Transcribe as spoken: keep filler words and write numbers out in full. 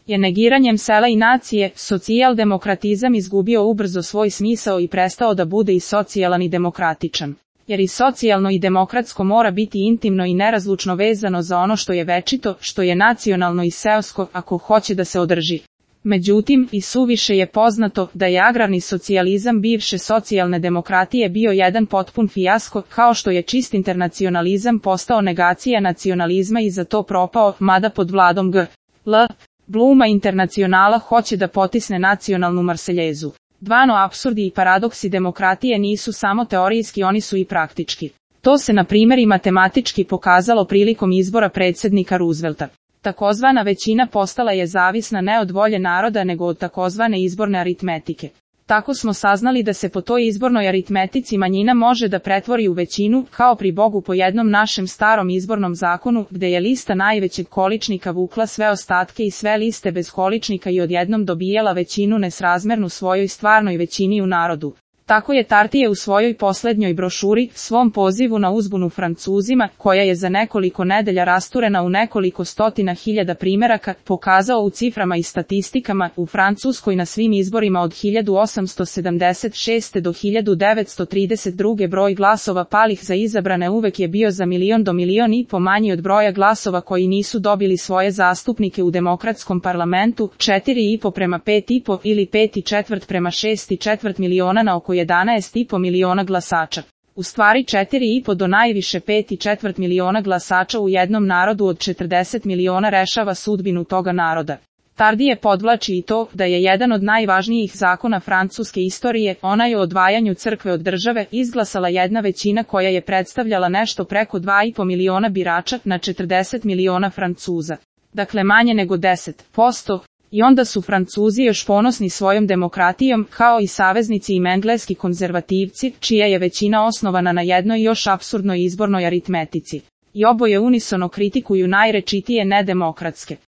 je negiranjem sela i nacije, socijaldemokratizam izgubio ubrzo svoj smisao i prestao da bude i socijalan i demokratičan. Jer i socijalno i demokratsko mora biti intimno i nerazlučno vezano za ono što je večito, što je nacionalno i seosko, ako hoće da se održi. Međutim, i suviše je poznato da je agrarni socijalizam bivše socijalne demokratije bio jedan potpun fijasko, kao što je čist internacionalizam postao negacija nacionalizma i za to propao, mada pod vladom G. L. Bluma Internacionala hoće da potisne nacionalnu Marseljezu. Dvano apsurdi i paradoksi demokratije nisu samo teorijski, oni su i praktički. To se na primjer i matematički pokazalo prilikom izbora predsjednika Roosevelta. Takozvana većina postala je zavisna ne od volje naroda nego od takozvane izborne aritmetike. Tako smo saznali da se po toj izbornoj aritmetici manjina može da pretvori u većinu, kao pri Bogu po jednom našem starom izbornom zakonu, gde je lista najvećeg količnika vukla sve ostatke i sve liste bez količnika i odjednom dobijala većinu nesrazmernu svojoj stvarnoj većini u narodu. Tako je Tartije u svojoj poslednjoj brošuri, svom pozivu na uzbunu Francuzima, koja je za nekoliko nedelja rasturena u nekoliko stotina hiljada primeraka, pokazao u ciframa i statistikama, u Francuskoj na svim izborima od hiljadu osamsto sedamdeset šeste do hiljadu devetsto trideset druge broj glasova palih za izabrane uvek je bio za milion do milion i po manji od broja glasova koji nisu dobili svoje zastupnike u demokratskom parlamentu, četiri i po prema pet i po ili pet i četvrt prema šest i četvrt miliona na oko jedanaest i po miliona glasača. U stvari četiri i po do najviše pet i četvrt miliona glasača u jednom narodu od četrdeset miliona rešava sudbinu toga naroda. Tardije podvlači i to da je jedan od najvažnijih zakona francuske istorije, onaj o odvajanju crkve od države, izglasala jedna većina koja je predstavljala nešto preko dva i po miliona birača na četrdeset miliona Francuza. Dakle manje nego deset posto. I onda su Francuzi još ponosni svojom demokratijom, kao i saveznici im engleski konzervativci, čija je većina osnovana na jednoj još apsurdnoj izbornoj aritmetici. I oboje unisono kritikuju najrečitije nedemokratske